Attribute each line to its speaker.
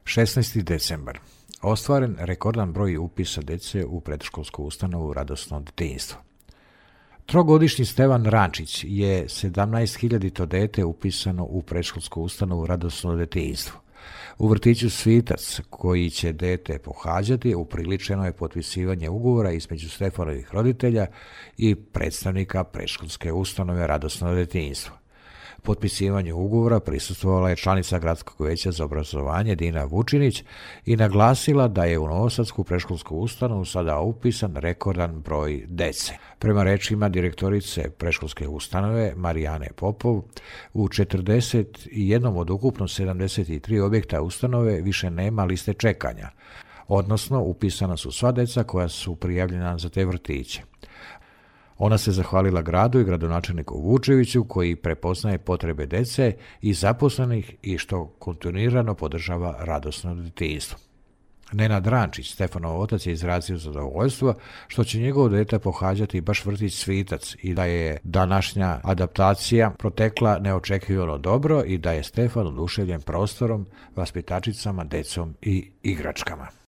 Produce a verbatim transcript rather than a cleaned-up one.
Speaker 1: šesnaesti decembar. Ostvaren rekordan broj upisa dece u predškolsku ustanovu Radosno detinjstvo. Trogodišnji Stevan Rančić je sedamnaest hiljadito dete upisano u predškolsku ustanovu Radosno detinjstvo. U vrtiću Svitac, koji će dete pohađati, upriličeno je potpisivanje ugovora između Stefanovih roditelja i predstavnika predškolske ustanove Radosno detinjstvo. Potpisivanju ugovora prisustvovala je članica Gradskog veća za obrazovanje Dina Vučinić i naglasila da je u novosadsku predškolsku ustanovu sada upisan rekordan broj dece. Prema rečima direktorice predškolske ustanove Marijane Popov, u četrdeset jedan od ukupno sedamdeset tri objekta ustanove više nema liste čekanja, odnosno upisana su sva deca koja su prijavljena za te vrtiće. Ona se zahvalila gradu i gradonačelniku Vučeviću koji prepoznaje potrebe dece i zaposlenih i što kontinuirano podržava Radosno detinjstvo. Nenad Rančić, Stefanov otac, je izrazio zadovoljstvo što će njegovo dete pohađati baš vrtić Svitac i da je današnja adaptacija protekla neočekivano dobro i da je Stefan oduševljen prostorom, vaspitačicama, decom i igračkama.